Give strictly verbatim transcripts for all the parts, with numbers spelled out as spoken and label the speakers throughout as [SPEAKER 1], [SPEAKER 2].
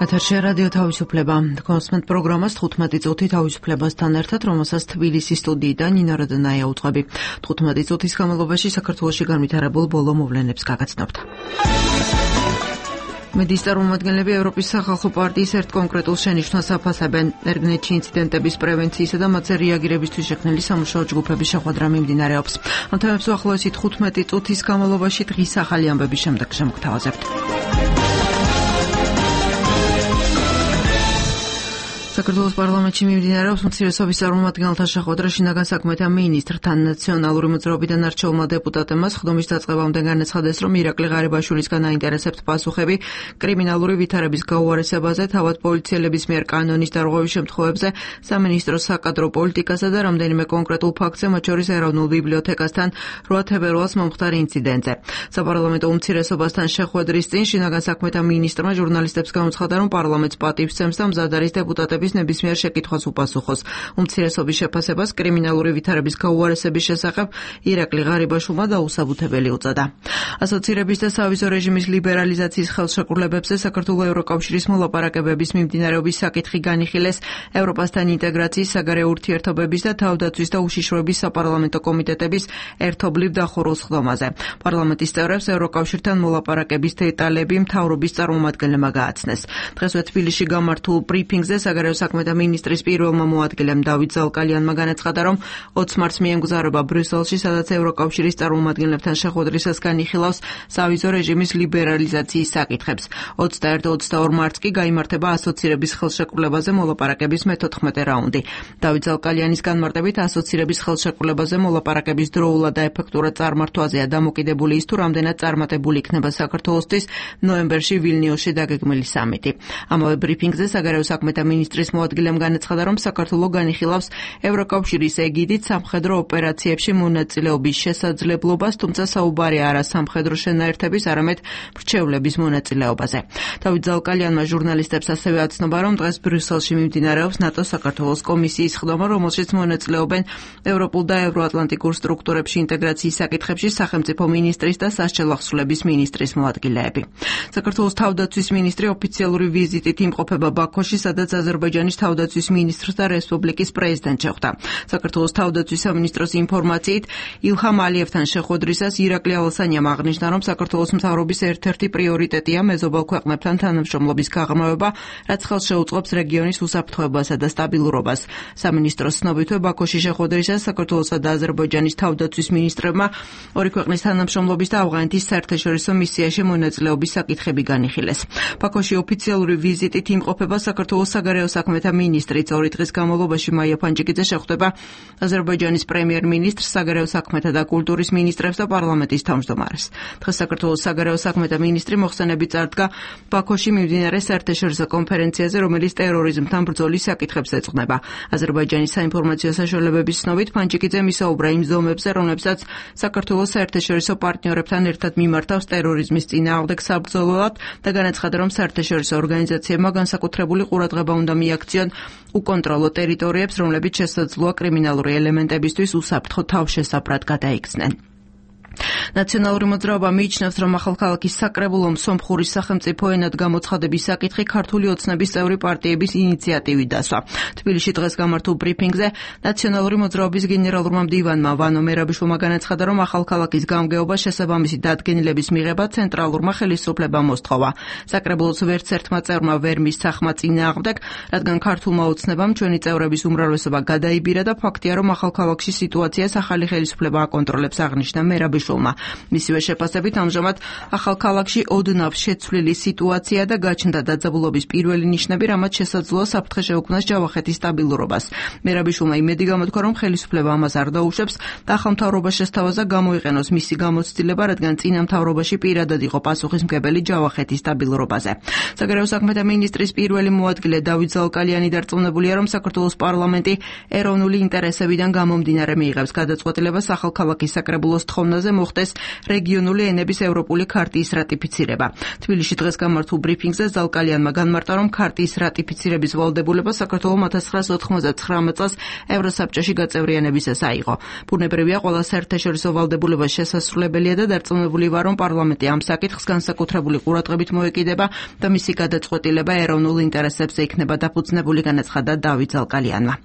[SPEAKER 1] ეთერში რადიო თავისუფლება. კონსმენტ პროგრამას თხუთმეტი წუთი თავისუფლებასთან ერთად, რომელსაც თბილისის სტუდიიდან ნინო როდონაია უძღვები. თხუთმეტი წუთის განმავლობაში საქართველოში განვითარებულ ბოლო მოვლენებს გაგაცნობთ. მედიის წარმომადგენლები ევროპის სახალხო პარტიის ერთ კონკრეტულ შენიშვნას აფასებენ. ერგნეთში ინციდენტების პრევენციისა და მათზე რეაგირებისთვის შექმნილი სამუშაო ჯგუფების შეხვედრა მიმდინარეობს. ამ თემებს უახლოესი თხუთმეტი წუთის განმავლობაში დღის ახალი ამბების შემდეგ შემოგთავაზებთ. საქართველოს პარლამენტში მიმდინარეობს უმცირესობის წარმომადგენელთა შეხვედრა შინაგან საქმეთა მინისტრთან. ნაციონალური მოძრაობიდან არჩეულმა დეპუტატებმა სხდომის დაწყებამდე განაცხადეს, რომ ირაკლი ღარიბაშვილისგან აინტერესებთ პასუხები კრიმინალური ვითარების გაუარესებაზე, თავად პოლიციელების მიერ კანონის დარღვევის შემთხვევებზე, სამინისტროს საკადრო პოლიტიკასა და რამდენიმე კონკრეტულ ფაქტზე, მათ შორის ეროვნულ ბიბლიოთეკასთან რვა თებერვალს მომხდარ ინციდენტზე. საპარლამენტო უმცირესობასთან შეხვედრის წინ შინაგან საქმეთა მინისტრმა ჟურნალისტებს განუცხადა, რომ პარლამენტს პატივს სცემს და მზად არის დეპუტატების ნებისმიერ შეკითხვას უპასუხოს. უმცირესობის შეფასებას კრიმინალური ვითარების გაუარესების შესახებ ირაკლი ღარიბაშვილმა დაუსაბუთებელი უწოდა. ასოცირების და სავიზო რეჟიმის ლიბერალიზაციის ხელშეკრულებებზე საქართველოს ევროკავშირის მოლაპარაკებების მიმდინარეობის საკითხი განიხილეს ევროპასთან ინტეგრაციის, საგარეო ურთიერთობების და თავდაცვის და უშიშროების საპარლამენტო კომიტეტების ერთობლივ დახურულ სხდომაზე. პარლამენტის წევრებს ევროკავშირთან მოლაპარაკების დეტალები მთავრობის წარმომადგენლებმა გააცნეს. დღესვე თბილისში გამართულ ბრიფინგზე საგარეო საქმეთა მინისტრის პირველმა მოადგილემ დავით ზალკალიანმა განაცხადა, რომ ოცი მარტს მიემგზავრება ბრიუსელში, სადაც ევროკავშირის წარმომადგენლებთან შეხვედრისას განიხილავს სავიზო რეჟიმის ლიბერალიზაციის საკითხებს. ოცდაერთი და ოცდაორი მარტს კი გაიმართება ასოცირების ხელშეკრულებაზე მოლაპარაკების მეთოთხმეტე რაუნდი. დავით ზალკალიანის განმარტებით ასოცირების ხელშეკრულებაზე მოლაპარაკების დროულად და ეფექტურად წარმართვაზეა დამოკიდებული ის, თუ რამდენად წარმატებული იქნება საქართველოსთვის ნოემბერში ვილნიუსში დაგეგმილი სამიტი. ამავე ბრიფინგზე საგარეო საქმეთა მინისტრის მოადგილემ განაცხადა, რომ საქართველო განიხილავს ევროკავშირის ეგიდით სამხედრო ოპერაციებში მონაწილეობის შესაძლებლობას, თუმცა საუბარი არა სამხედრო შენაერთების, არამედ მრჩევლების მონაწილეობაზე. დავით ზალკალიანმა ჟურნალისტებს ასევე აცნობა, რომ დღეს ბრიუსელში მიმდინარეობს ნატოს საქართველოს კომისიის სხდომა, რომელშიც მონაწილეობენ ევროპულ და ევროატლანტიკურ სტრუქტურებში ინტეგრაციის საკითხებში სახელმწიფო მინისტრის და სასჯელ ახსულების მინისტრის მოადგილეები. საქართველოს თავდაცვის მინისტრი ოფიციალური ვიზიტით იმყოფება ბაქოში, სადაც აზერბაიჯანის თავდაცვის მინისტრს და რესპუბლიკის პრეზიდენტს შეხვდა. საქართველოს თავდაცვის სამინისტროს ინფორმაციით, ილჰამ ალიევთან შეხვედრისას ირაკლი ალასანიამ აღნიშნა, რომ საქართველოს მთავრობის ერთ-ერთი პრიორიტეტია მეზობელ ქვეყნებთან თანამშრომლობის გაღრმავება, რაც ხელს შეუწყობს რეგიონის უსაფრთხოებასა და სტაბილურობას. სამინისტროს ცნობითვე ბაქოში შეხვედრისას საქართველოსა და აზერბაიჯანის თავდაცვის მინისტრებმა ორი ქვეყნის თანამშრომლობის და ავღანეთის საერთაშორისო მისიაში მონაწილეობის საკითხები განიხილეს. ბაქოში ოფიციალური ვიზიტით იმყოფება საქართველოს საგარეო საქმეთა მინისტრიც. ორი დღის განმავლობაში მაია ფანჯიკიძე შეხვდება აზერბაიჯანის პრემიერ-მინისტრს, საგარეო საქმეთა და კულტურის მინისტრებს და პარლამენტის თავმჯდომარეს. დღეს საქართველოს საგარეო საქმეთა მინისტრი მოხსენებით წარდგა ბაქოში მიმდინარე საერთაშორისო კონფერენციაზე, რომელიც ტერორიზმთან ბრძოლის საკითხებს ეძღვნება. აზერბაიჯანის საინფორმაციო საშუალებების ცნობით ფანჯიკიძემ ისაუბრა იმ ზომებზე, რომლებსაც საქართველოს საერთაშორისო პარტნიორებთან ერთად მიმართავს ტერორიზმის წინააღმდეგ საბრძოლველად და განაცხადა, რომ საერთაშორისო ორგანიზაციებმა განსაკუთრებული ყურადღება უნდა მიაქციონ უკონტროლო ტერიტორიებს, რომლებიც შესაძლოა კრიმინალური ელემენტებისთვის უსაფრთხო თავშესაფრად გადაიქცნენ. ნაციონალური მოძრაობა მიიჩნევს, რომ ახალქალაქის საკრებულომ სომხურის სახელმწიფო ენად გამოცხადების საკითხი ქართული ოცნების წევრი პარტიების ინიციატივით დასვა. თბილისში დღეს გამართულ ბრიფინგზე ნაციონალური მოძრაობის გენერალურმა მდივანმა ვანო მერაბიშვილმა განაცხადა, რომ ახალქალაქის გამგეობა შესაბამისი დადგენილების მიღება ცენტრალურმა ხელისუფლებამ მოსთხოვა. საკრებულოს ვერც ერთმა წევრმა ვერ მისცა ხმა წინააღმდეგ, რადგან ქართულმა ოცნებამ ჩვენი წევრების უმრავლესობა გადაიბირა და ფაქტია, რომ ახალქალაქში სიტუაციას ახალი ხელისუფლება აკონტროლებს, აღნიშნა მერაბიშვილმა. მისივე შეფასებით ამჟამად ახალქალაქში ოდნავ შეცვლილი სიტუაცია და გაჩნდა დაძაბულობის პირველი ნიშნები, რამაც შესაძლოა საფრთხე შეუქმნას ჯავახეთის სტაბილურობას. მერაბიშვილმა იმედი გამოთქვა, რომ ხელისუფლება ამას არ დაუშვებს და ახალ მთავრობას შესთავაზა გამოიყენოს მისი გამოცდილება, რადგან წინა მთავრობაში პირადად იყო პასუხისმგებელი ჯავახეთის სტაბილურობაზე. საგარეო საქმეთა მინისტრის პირველი მოადგილე დავით ზალკალიანი დარწმუნებულია, რომ საქართველოს პარლამენტი ეროვნული ინტერესებიდან გამომდინარე მიიღებს გადაწყვეტილებას ახალქალაქის საკრებულოს თხოვნაზე, მოხდეს რეგიონული ენების ევროპული ქარტიის რატიფიცირება. თბილისში დღეს გამართულ ბრიფინგზე ზალკალიანმა განმარტა, რომ ქარტიის რატიფიცირების ვალდებულება საქართველოს ოთხ ათას ოცდათხმეტ წელს ევროსაბჭოში გაწევრიანებისას აიღო. ბუნებრივია, ყველა საერთაშორისო ვალდებულება შესასრულებელია და დარწმუნებული ვარ, რომ პარლამენტი ამ საკითხს განსაკუთრებული ყურადღებით მოეკიდება და მისი გადაწყვეტილება ეროვნულ ინტერესებზე იქნება დაფუძნებული, განაცხადა დავით ზალკალიანმა.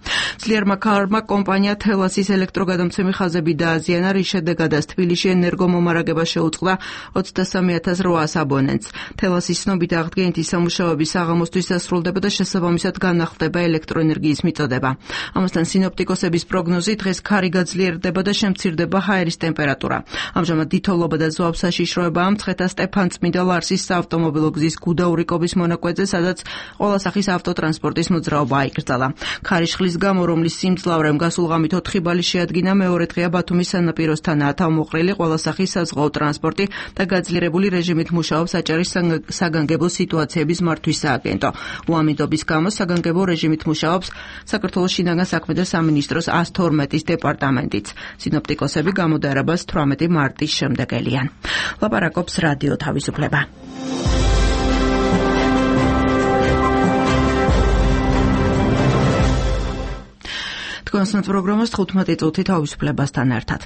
[SPEAKER 1] ძლიერმა ქარმა კომპანია თელასის ელექტროგადამცემი ხაზები დააზიანა, რის შედეგადაც თბილისში ენერგომომარაგება შეუწყდა ოცდასამი ათას რვაას აბონენტს. თელასის ცნობით აღდგენითი სამუშაოების საღამოსთვის დასრულდება და შესაბამისად განახლდება ელექტროენერგიის მიწოდება. ამასთან სინოპტიკოსების პროგნოზით დღეს ქარი გაძლიერდება და შემცირდება ჰაერის ტემპერატურა. ამჟამად დიდთოვლობა და ზვავ საშიშროებაა მცხეთა სტეფანწმინდა ლარსის საავტომობილო გზის გუდაურიკობის მონაკვეთზე, სადაც ყველა სახის ავტოტრანსპორტის მოძრაობა აიკრძალა. ქარიშხლის გამო, რომლის სიმძლავრემ გასულ ღამით ოთხი ბალი შეადგინა, მეორე დღეა ბათუმის სანაპიროსთანაა თავმოყრილი ყველა სახის საზღვაო ტრანსპორტი და გაძლიერებული რეჟიმით მუშაობს აჭარის საგანგებო სიტუაციების მართვის სააგენტო. უამინდობის გამო საგანგებო რეჟიმით მუშაობს საქართველოს შინაგან საქმეთა სამინისტროს ას თორმეტის დეპარტამენტიც. სინოპტიკოსები გამოდარებას თვრამეტი მარტის შემდეგ ელიან. ლაპარაკობს რადიო თავისუფლება. კონსტანტ პროგრამას თხუთმეტი წუთი თავისუფლებასთან ერთად.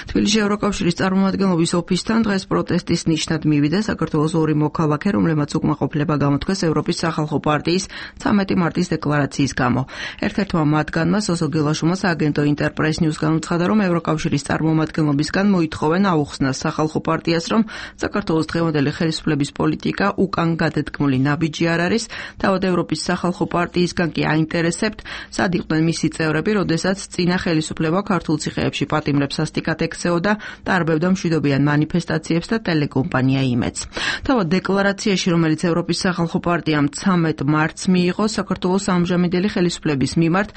[SPEAKER 1] თბილისში ევროკავშირის წარმომადგენლობის ოფისთან დღეს პროტესტის ნიშნად მივიდა საქართველოს ორი მოქალაქე, რომლებმაც უკმაყოფილება გამოთქვეს ევროპის სახალხო პარტიის ცამეტი მარტის დეკლარაციის გამო. ერთ-ერთმა მათგანმა სოსო გელაშუმას აგენტო ინტერპრეს ნიუსგან უცხადა, რომ ევროკავშირის წარმომადგენლობისგან მოითხოვენ აუხსნას სახალხო პარტიას, რომ საქართველოს დღევანდელი ხელისუფლების პოლიტიკა უკან გადადგმული ნაბიჯი არ არის, თავად ევროპის სახალხო პარტიისგან კი აინტერესებთ, სად იყვნენ მისი წევრები, როდესაც წინა ხელისუფლება ქართულ ციხეებში პატიმრებს სასტიკად ექცეოდა, ტარბევდა მშვიდობიან მანიფესტაციებს და ტელეკომპანია იმედს. თავად დეკლარაციაში, რომელიც ევროპის სახალხო პარტიამ ცამეტ მარტს მიიღო, საქართველოს ამჟამინდელი ხელისუფლების მიმართ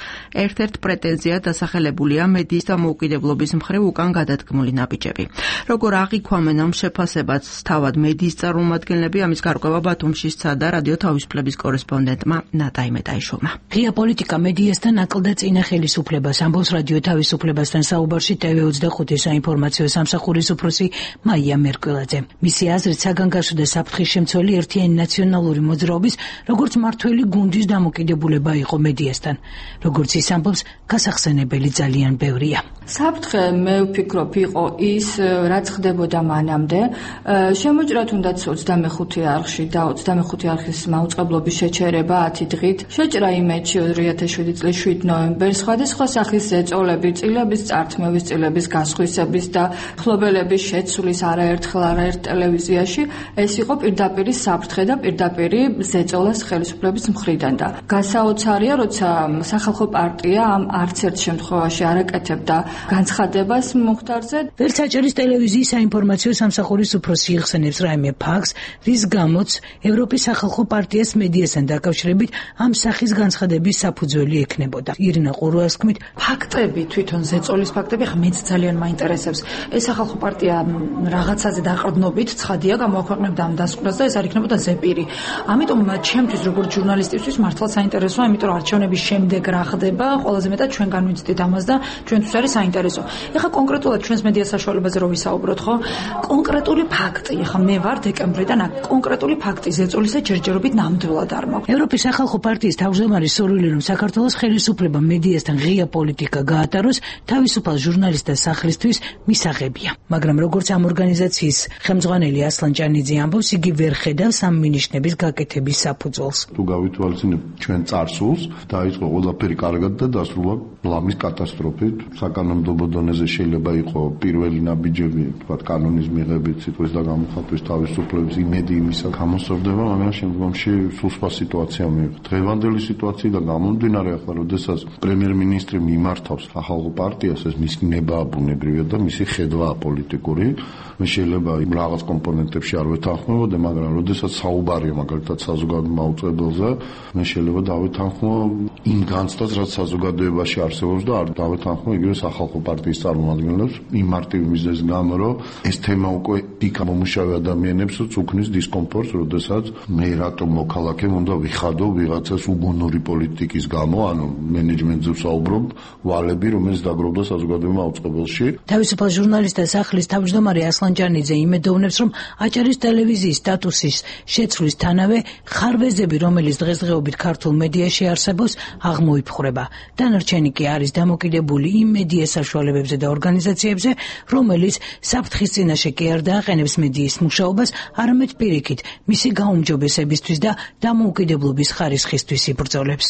[SPEAKER 1] ერთ-ერთ პრეტენზიად დასახელებულია მედიის დამოუკიდებლობის მხრივ უკან გადადგმული ნაბიჯები. როგორ აღიქვამენ ამ შეფასებას თავად მედიის წარმომადგენლები, ამის გარკვევა ბათუმში სცადა რადიო თავისუფლების კორესპონდენტმა ნატა იმედაიშვილმა.
[SPEAKER 2] ღია პოლიტიკა მედიასთან აკლდა წინა ხელისუფლებას. ამბობს რადიო თავისუფლებასთან საუბარში ტევ ოცდახუთი საინფორმაციო სამსახურის უფროსი მაია მერკველაძე. მისი აზრით, საგანგაშო და საფრთხის შემცველი ერთიანი ნაციონალური მოძრაობის, როგორც მართველი გუნდის დამოკიდებულება იყო მედიასთან. როგორც ის ამბობს, გასახსენებელი ძალიან ბევრია.
[SPEAKER 3] საფრთხე, მე ვფიქრობ, იყო ის, რაც ხდებოდა მანამდე. შემოჭრა თუნდაც ოცდამეხუთი არხში და ოცდამეხუთი არხის მაუწყებლობის შეჩერება ათი დღით. შეჭრა იმედში ორი ათას შვიდი წლის შვიდ ნოემბერს სხვადასხვა სახის წოლები, წილების წართმევის, წილების გასხვისების და ხლობელების შეცვლის არაერთხელ არაერთ ტელევიზიაში, ეს იყო პირდაპირი საფრთხე და პირდაპირი ზეწოლას ხელისუფლების მხრიდან და გასაოცარია, როცა სახალხო პარტია ამ არც ერთ შემთხვევაში არ აკეთებდა განცხადებას მომხდარზე.
[SPEAKER 2] ვერც აჭარის ტელევიზიის საინფორმაციო სამსახურის უფროსი იხსენებს რაიმე ფაქტს, რის გამოც ევროპის სახალხო პარტიას მედიასთან დაკავშირებით ამ სახის განცხადების საფუძველი ექნებოდა. ირინა ყურუას თქმით,
[SPEAKER 4] ფაქტები, თვითონ ზეწოლის ფაქტები ხა მეც ძალიან მაინტერესებს. ეს სახალხო პარტია რაღაცაზე დაყრდნობით ცხადია გამოაქვეყნებდა ამ დასკვნას და ეს არ იქნებოდა ზეპირი. ამიტომ ჩემთვის როგორც ჟურნალისტისთვის მართლა საინტერესოა, იმიტომ რომ არჩევნების შემდეგ რა ხდება, ყველაზე მეტად ჩვენ განვიცდით ამას და ჩვენთვის არის საინტერესო. ეხლა კონკრეტულად ჩვენს მედია საშუალებაზე რო ვისაუბროთ, ხო? კონკრეტული ფაქტი, ეხლა მე ვარ დეკემბრიდან, კონკრეტული ფაქტი ზეწოლისა ჯერჯერობით ნამდვილად არ მაქვს.
[SPEAKER 2] ევროპის სახალხო პარტიის თავმჯდომარე სურვილი, რომ საქართველოს ხელისუფლება მედიასთან ღია პოლიტიკა გაატაროს, თავისუფალ ჟურნალისტთა სახლისთვის მისაღებია. მაგრამ როგორც ამ ორგანიზაციის ხელმძღვანელი ასლან ჭანიძე ამბობს, იგი ვერ ხედავს ამ მინიშნების გაკეთების საფუძველს.
[SPEAKER 5] თუ გავითვალისწინებთ ჩვენ წარსულს, დაიწყო ყველაფერი კარგად და დასრულა ლამის კატასტროფით. საკანონმდებლო დონეზე შეიძლება იყო პირველი ნაბიჯები, თქვათ კანონის მიღებით, სიტყვის და გამოხატვის თავისუფლების იმედი იმისა გამოსწორდება, მაგრამ შემდგომში სულ სხვა სიტუაცია მიიღო. დღევანდელი სიტუაციიდან გამომდინარე, ახლა როდესაც პრემიერ-მინისტრი მიმართავს სახალხო პარტიას, ეს მისი ნებაა ბუნებრივია და მისი ხედვაა პოლიტიკური. მე შეიძლება რაღაც კომპონენტებში არ ვეთანხმებოდე, მაგრამ როდესაც საუბარია მაგალითად საზოგადოებრივ მაუწყებელზე, მე შეიძლება დავეთანხმო იმ განცდას, რაც საზოგადოებაში არსებობს და არ დავეთანხმო იგივე სახალხო პარტიის წარმომადგენლებს იმ მარტივი მიზეზის გამო, რომ ეს თემა უკვე იქ მომუშავე ადამიანებს უქმნის დისკომფორტს, როდესაც მე რატომ მოქალაქემ უნდა ვიხადო ვიღაცას უგუნური პოლიტიკის გამო, ანუ მენეჯმენტზე ვსაუბრობ, რომ ვალები, რომელიც დაგროვდა საზოგადოებრივ მაუწყებელში.
[SPEAKER 2] თავისუფალ ჟურნალისტთა სახლის თავმჯდომარე ასლანჯანიძე იმედოვნებს, რომ აჭარის ტელევიზიის სტატუსის შეცვლის თანავე ხარვეზები, რომელიც დღესდღეობით ქართულ მედიაში არსებობს, აღმოიფხვრება. დანარჩენი კი არის დამოკიდებული იმ მედია საშუალებებზე და ორგანიზაციებზე, რომელიც საფრთხის წინაშე კი არ დააყენებს მედიის მუშაობას, არამედ პირიქით მისი გაუმჯობესებისთვის და დამოუკიდებლობის ხარისხისთვის იბრძოლებს.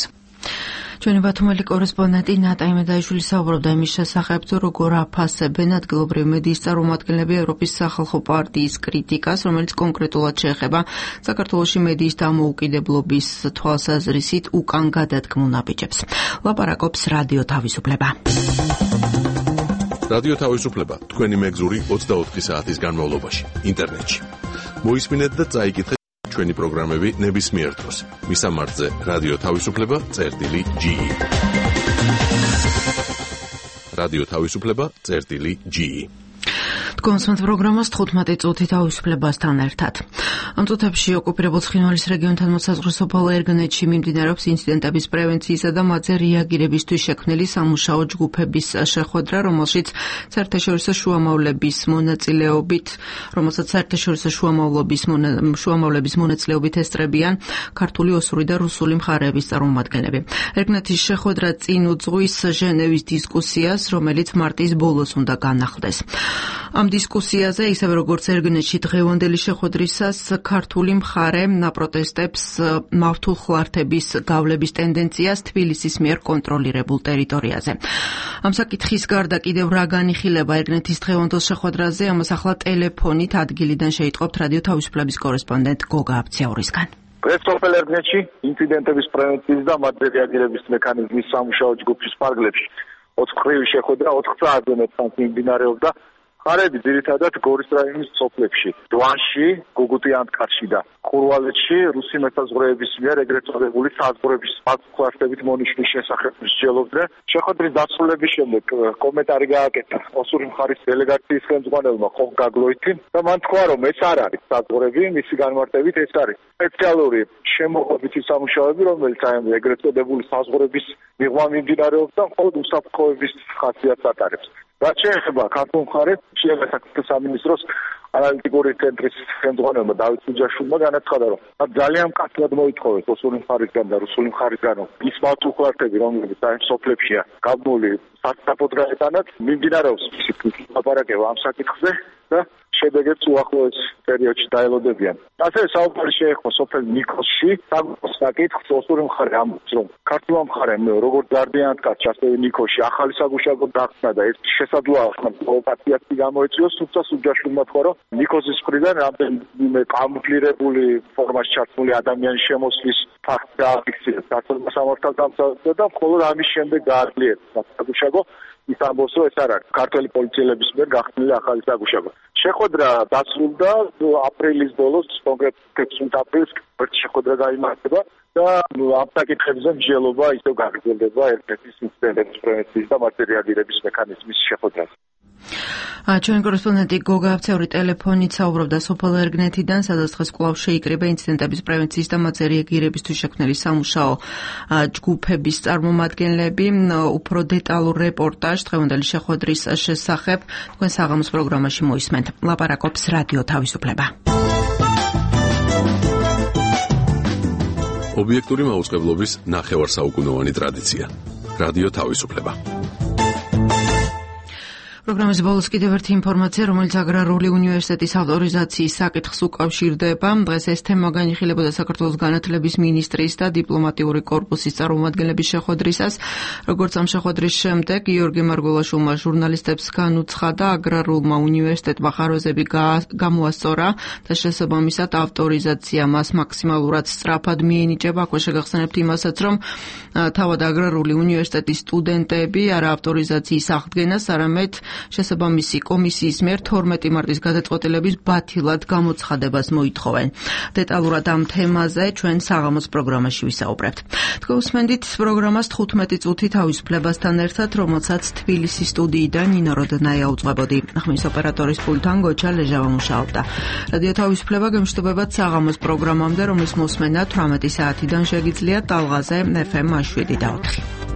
[SPEAKER 1] ჩვენი ბათუმელი კორესპონდენტი ნატა იმედაიშვილი საუბრობდა იმის შესახებ, როგორ აფასებენ ადგილობრივი მედიის წარმომადგენლები ევროპის სახალხო პარტიის კრიტიკას, რომელიც კონკრეტულად შეეხება საქართველოში მედიის დამოუკიდებლობის თვალსაზრისით უკან გადადგმულ ნაბიჯებს. ლაპარაკობს რადიო თავისუფლება.
[SPEAKER 6] რადიო თავისუფლება თქვენი მეგზური ოცდაოთხი საათის განმავლობაში ინტერნეტში. მოისმინეთ და წაიკითხეთ ჩვენი პროგრამები ნებისმიერ დროს. მისამართზე რადიო თავისუფლება წერტილი ჯი. რადიო თავისუფლება წერტილი ჯი.
[SPEAKER 1] თქვენს პროგრამას თხუთმეტი წუთი თავისუფლებასთან ერთად. ამ წუთებში ოკუპირებულ ცხინვალის რეგიონთან მოსაზღვრე ერგანეთში მიმდინარეობს ინციდენტების პრევენციისა და მათზე რეაგირებისთვის შექმნილი სამუშაო ჯგუფების შეხვედრა, რომელშიც საერთაშორისო შუამავლების მონაწილეობით, რომელსაც საერთაშორისო შუამავლობის შუამავლების მონაწილეობით ესწრებიან ქართული, ოსური და რუსული მხარეების წარმომადგენლები. ერგანეთის შეხვედრა წინ უძღვის ჟენევის დისკუსიას, რომელიც მარტის ბოლოს უნდა განახლდეს. ამ დისკუსიაზე, ისევე როგორც ერგანეთში დღევანდელი შეხვედრისას, ქართული მხარე პროტესტებს მავთულ ხლართების გავლების ტენდენციას თბილისის მიერ კონტროლირებულ ტერიტორიაზე. ამ საკითხის გარდა კიდევ რა განიხილება ერგანეთის დღევანდელ შეხვედრაზე, ამას ახლა ტელეფონით ადგილიდან შეიტყობთ რადიო თავისუფლების კორესპონდენტ გოგა აბციაურისგან.
[SPEAKER 7] დღეს სოფელ ერგანეთში ინციდენტების პრევენციის და მათზე რეაგირების მექანიზმის სამუშაო ჯგუფის ფარგლებში ოთხმხრივი შეხვედრა ოთხ საათზე მეტხანს მიმდინარეობდა. ხარები ძირითადად გორის რაიონის სოფლებში, დვანში, გუგუტიანთკარში და ხურვალეთში რუსი მეთაზღვრეების მიერ ეგრეთ წოდებული საზღვრების მართლმსაჯულებით მონიშნვის შესახებ მსჯელობდნენ. შეხვედრის დასრულების შემდეგ კომენტარი გააკეთა ოსური მხარის დელეგაციის ხელმძღვანელმა ხოხ გაგლოითიმ და მან თქვა, რომ ეს არ არის საზღვრები, მისი განმარტებით ეს არის სპეციალური შემოღებითი სამუშაოები, რომელიც აი ეგრეთ წოდებული საზღვრების მიღმა მიმდინარეობს და მხოლოდ უსაფრთხოების ხასიათს ატარებს. რაც შეეხება ქართულ მხარეს, შინაგან საქმეთა სამინისტროს ანალიტიკური ცენტრის ხელმძღვანელმა დავით უჯაშვილმა განაცხადა, რომ ძალიან მკაცრად მოითხოვეს ოსური მხარისგან და რუსული მხარისგან ის მართლმსაჯულები, რომლებიც აი სოფლებშია გაბმული სასწრაფოდ გაეტანათ, მიმდინარეობს ლაპარაკება ამ საკითხზე და შედეგებს უახლოეს პერიოდში დაელოდებიან. ასევე საუბარი შეეხო სოფელ ნიკოსში, საკუთარ საკითხს ოსური მხარე ამბობს, რომ ქართულმა მხარემ როგორც გარდიანთკარში, ასევე ნიკოსში ახალი საგუშაგო დახსნა და ეს შესაძლოა პროვოკაციას გამოეწვიოს, თუმცა უჯაშვილმა თქვა, რომ ნიკოსის მხრიდან რამდენიმე კამუფლირებული ფორმაში ჩართული ადამიანის შემოსვლის ფაქტი დააფიქსირეს ქართულმა სამართალდამცავებმა და მხოლოდ ამის შემდეგ გააძლიერეს საგუშაგო. ის ამბობს, რომ ეს არ არის ქართველი პოლიციელების მიერ გახსნილი ახალი საგუშაგო. შეხვედრა დასრულდა აპრილის ბოლოს, კონკრეტულად ექვსი აპრილს ერთი შეხვედრა გაიმართება და ამ საკითხებზე მსჯელობა ისევ გაგრძელდება ერთ-ერთის ინციდენტების პრევენციის და მათზე რეაგირების მექანიზმის შეხვედრაზე.
[SPEAKER 1] ჩვენი კორესპონდენტი გოგა აბცაური ტელეფონით საუბრობდა სოფელ ერგანეთიდან, სადაც დღეს კვლავ შეიკრიბა ინციდენტების პრევენციის და მათზე რეაგირებისთვის შექმნილი სამუშაო ჯგუფების წარმომადგენლები. უფრო დეტალურ რეპორტაჟ დღევანდელი შეხვედრის შესახებ თქვენ საღამოს პროგრამაში მოისმენთ. ლაპარაკობს რადიო თავისუფლება.
[SPEAKER 6] ობიექტური მაუწყებლობის ნახევარსაუკუნოვანი ტრადიცია. რადიო თავისუფლება.
[SPEAKER 1] პროგრამის ბოლოს კიდევ ერთი ინფორმაცია, რომელიც აგრარული უნივერსიტეტის ავტორიზაციის საკითხს უკავშირდება. დღეს ეს თემა განიხილებოდა საქართველოს განათლების მინისტრის და დიპლომატიური კორპუსის წარმომადგენლების შეხვედრისას. როგორც ამ შეხვედრის შემდეგ გიორგი მარგველაშვილმა ჟურნალისტებს განუცხადა, აგრარულმა უნივერსიტეტმა ხარვეზები გამოასწორა და შესაბამისად ავტორიზაცია მას მაქსიმალურად სწრაფად მიენიჭება. აქვე შეგახსენებთ იმასაც, რომ თავად აგრარული უნივერსიტეტის სტუდენტები არა ავტორიზაციის აღდგენას, არამედ შესაბამისი კომისიის მიერ თორმეტი მარტის გადაწყვეტილების ბათილად გამოცხადებას მოითხოვენ. დეტალურად ამ თემაზე ჩვენ საღამოს პროგრამაში ვისაუბრებთ. თქვენ უსმენთ პროგრამას თხუთმეტი წუთი თავისუფლებასთან ერთად, რომელსაც თბილისის სტუდიიდან ნინო როდნაია უძღვებოდი. ხმის ოპერატორის პულტთან გოჩა ლეჟავა მუშაობდა. რადიო თავისუფლება გემშვიდობებათ საღამოს პროგრამამდე, რომლის მოსმენა თვრამეტი საათიდან შეგიძლიათ ტალღაზე ეფ ემ შვიდი და ოთხი.